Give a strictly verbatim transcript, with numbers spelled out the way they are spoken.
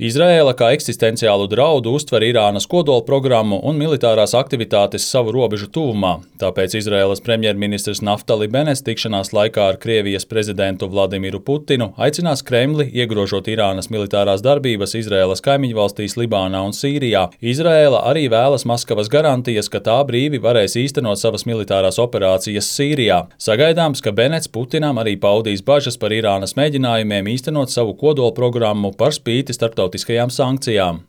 Izraēla kā eksistenciālu draudu uztver Irānas kodolprogrammu un militārās aktivitātes savu robežu tuvumā, tāpēc Izraēlas premjerministrs Naftali Benets tikšanās laikā ar Krievijas prezidentu Vladimiru Putinu aicinās Kremli iegrožot Irānas militārās darbības Izraēlas kaimiņvalstīs Libānā un Sīrijā. Izraēla arī vēlas Maskavas garantijas, ka tā brīvi varēs īstenot savas militārās operācijas Sīrijā. Sagaidāms, ka Benets Putinam arī paudīs bažas par Irānas mēģinājumiem īstenot savu kodolprogrammu par spīti starptautiskajām sankcijām.